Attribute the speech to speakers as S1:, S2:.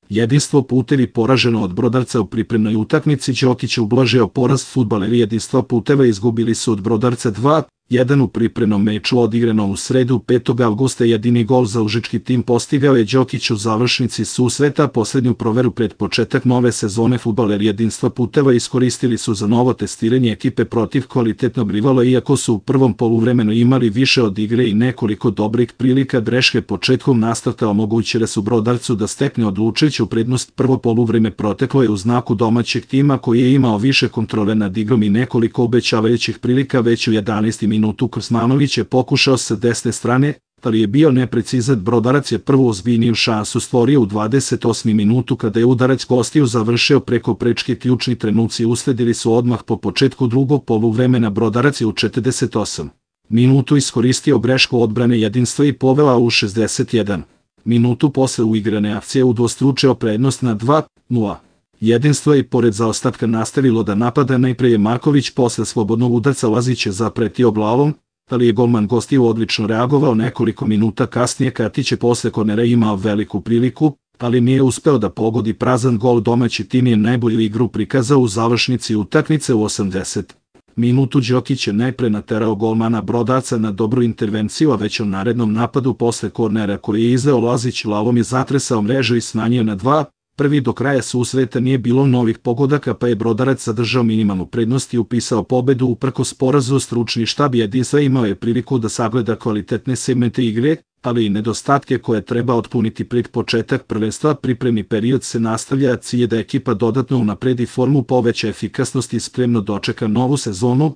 S1: Jedinstvo putevi poraženo od Brodarca u pripremnoj utakmici. Đokić ublažio poraz. Fudbaleri Jedinstva puteva izgubili su od Brodarca 2-1 u pripremnom meču odigranom u sredu 5. avgusta. Jedini gol za užički tim postigao je Đokić u završnici susreta. Poslednju proveru pred početak nove sezone fudbaleri Jedinstva puteva iskoristili su za novo testiranje ekipe protiv kvalitetnog rivala, iako su u prvom poluvremenu imali više od igre i nekoliko dobrih prilika. Greške početkom nastavka omogućile su Brodarcu da stekne odlučujuću prednost. Prvo poluvreme proteklo je u znaku domaćeg tima koji je imao više kontrole nad igrom i nekoliko obećavajućih prilika. Već u 11. minutu Krsmanović je pokušao sa desne strane, ali je bio neprecizan. Brodarac je prvu ozbiljniju šansu stvorio u 28. minutu kada je udarac gostiju završio preko prečke. Ključni trenuci usledili su odmah po početku drugog poluvremena. Brodarac je u 48. minutu iskoristio grešku odbrane Jedinstva i povela u 61. minutu posle uigrane akcije udvostručio prednost na 2-0. Jedinstvo je i pored zaostatka nastavilo da napada. Najpre je Marković posle slobodnog udarca Lazića zapretio glavom, ali je golman gostiju odlično reagovao. Nekoliko minuta kasnije Katić je posle kornera imao veliku priliku, ali nije uspeo da pogodi prazan gol. Domaći tim je najbolju igru prikazao u završnici utakmice u 80. minutu. Đokić je najpre naterao golmana Brodarca na dobru intervenciju, a već u narednom napadu posle kornera koji je izveo Lazić lavom je zatresao mrežu i smanjio na 2-1. Do kraja susreta nije bilo novih pogodaka, pa je Brodarac zadržao minimalnu prednost i upisao pobedu uprkos porazu. Stručni štab Jedinstva imao je priliku da sagleda kvalitetne segmente igre, ali i nedostatke koje treba otpuniti pred početak prvenstva. Pripremni period se nastavlja, a cilj je da ekipa dodatno unapredi formu, poveća efikasnost i spremno dočeka novu sezonu.